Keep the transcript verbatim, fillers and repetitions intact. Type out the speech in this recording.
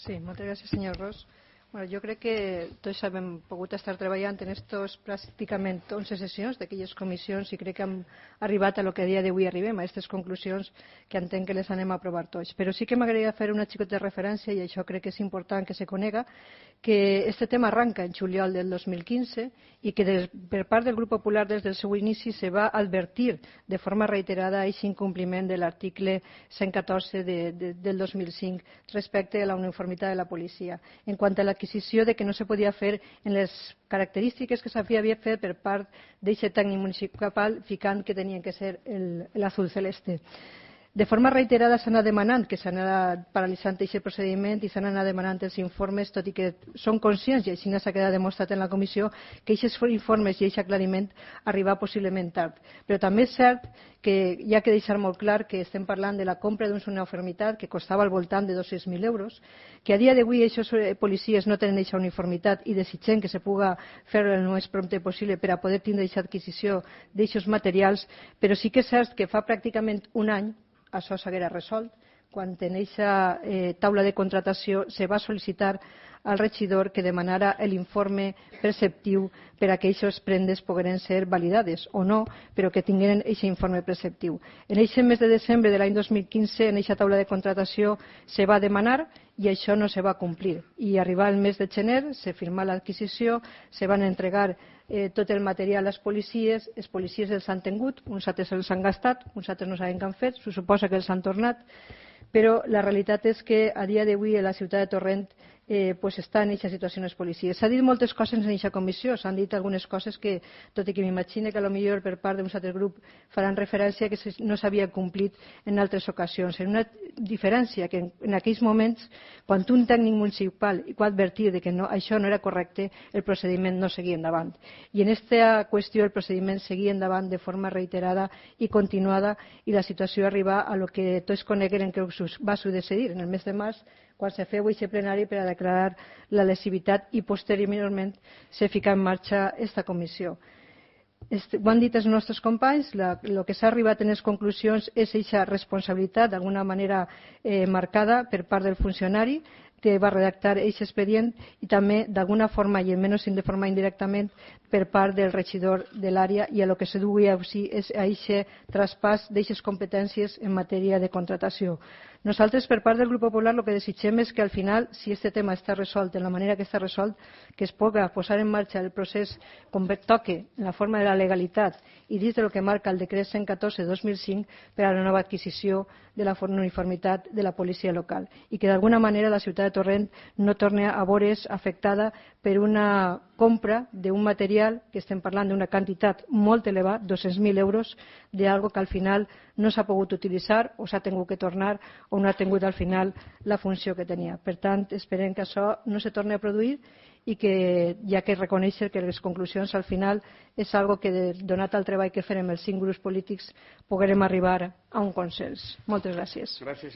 Sí, moltes gràcies, senyor Ros. Bueno, jo crec que tots hem pogut estar treballant en estos pràcticament onze sessions d'aquelles comissions i crec que hem arribat a lo que a dia d'avui arribem, a aquestes conclusions que entenc que les anem a aprovar tots. Però sí que m'agradaria fer una xicota de referència, i això crec que és important que se conega, que este tema arranca en juliol del dos mil quinze i que des, per part del Grup Popular des del seu inici se va advertir de forma reiterada aquest incompliment de l'article cent catorze de, de, del dos mil cinc respecte a la uniformitat de la policia. En quant a l'adquisició de que no se podia fer en les característiques que s'havia fet per part d'aquest tècnic municipal ficant que tenien que ser l'azul celeste. De forma reiterada s'ha anat demanant que s'ha anat paralitzant aquest procediment i s'han anat demanant els informes, tot i que són conscients, i així s'ha quedat demostrat en la comissió, que aquests informes i aquest aclariment arriba possiblement tard. Però també és cert que hi ha que deixar molt clar que estem parlant de la compra d'una uniformitat que costava al voltant de dos-cents mil euros, que a dia d'avui aquests policies no tenen aquesta uniformitat i desitgem que se puga fer el més prompte possible per a poder tindre aquesta adquisició d'aquests materials, però sí que és cert que fa pràcticament un any això s'haguera resolt quan en aquesta eh, taula de contratació se va sol·licitar al regidor que demanara l'informe preceptiu per a que aquestes prendes pogueren ser validades o no, però que tingueren aquest informe preceptiu. En aquest mes de desembre de l'any dos mil quinze, en aquesta taula de contratació se va demanar i això no se va complir. I arribar el mes de gener, se firmà l'adquisició, se van entregar eh, tot el material a les policies, els policies els han tingut, uns altres els han gastat, uns altres no saben què han fet, se suposa que els han tornat, però la realitat és que a dia d'avui a la ciutat de Torrent eh, pues està en aquesta situació les policies. S'ha dit moltes coses en aquesta comissió, s'han dit algunes coses que, tot i que m'imagino que potser per part d'un altre grup faran referència que no s'havia complit en altres ocasions. En una diferència que en, en aquells moments, quan un tècnic municipal va advertir de que no, això no era correcte, el procediment no seguia endavant. I en aquesta qüestió el procediment seguia endavant de forma reiterada i continuada i la situació arriba a lo que tots conegueren que va succeir en el mes de març, quan se feu aquest plenari per a declarar la lesivitat i posteriorment se fica en marxa aquesta comissió. Ho han dit els nostres companys, el que s'ha arribat en les conclusions és aquesta responsabilitat d'alguna manera eh, marcada per part del funcionari que va redactar aquest expedient i també d'alguna forma, i almenys de forma indirectament, per part del regidor de l'àrea i a lo que se duia és a aquest traspàs d'aquestes competències en matèria de contratació. Nosaltres, per part del Grup Popular, el que desitgem és que al final, si aquest tema està resolt de la manera que està resolt, que es pugui posar en marxa el procés com toque, en la forma de la legalitat i dins del que marca el decret cent catorze dos mil cinc per a la nova adquisició de la uniformitat de la policia local i que d'alguna manera la ciutat de Torrent no torni a veure's afectada per una compra d'un material que estem parlant d'una quantitat molt elevada, dos-cents mil euros, d'algo que al final no s'ha pogut utilitzar o s'ha tingut que tornar o no ha tingut al final la funció que tenia. Per tant, esperem que això no se torni a produir i que hi ha que reconèixer que les conclusions al final és algo que, donat el treball que farem els cinc grups polítics, puguem arribar a un consens. Moltes gràcies. Gràcies.